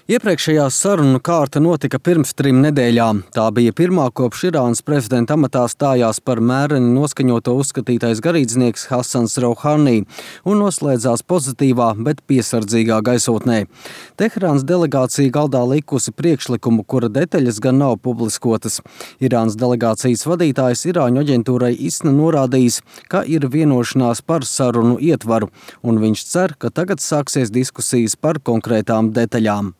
Iepriekšējā sarunu kārta notika pirms 3 nedēļām. Tā bija pirmā kopš Irānas prezidenta amatā stājās par mēreni noskaņoto uzskatītais garīdznieks Hasans Rouhani un noslēdzās pozitīvā, bet piesardzīgā gaisotnē. Teherānas delegācija galdā likusi priekšlikumu, kura detaļas gan nav publiskotas. Irānas delegācijas vadītājs Irāņu aģentūrai ISNA norādījis, ka ir vienošanās par sarunu ietvaru, un viņš cer, ka tagad sāksies diskusijas par konkrētām detaļām.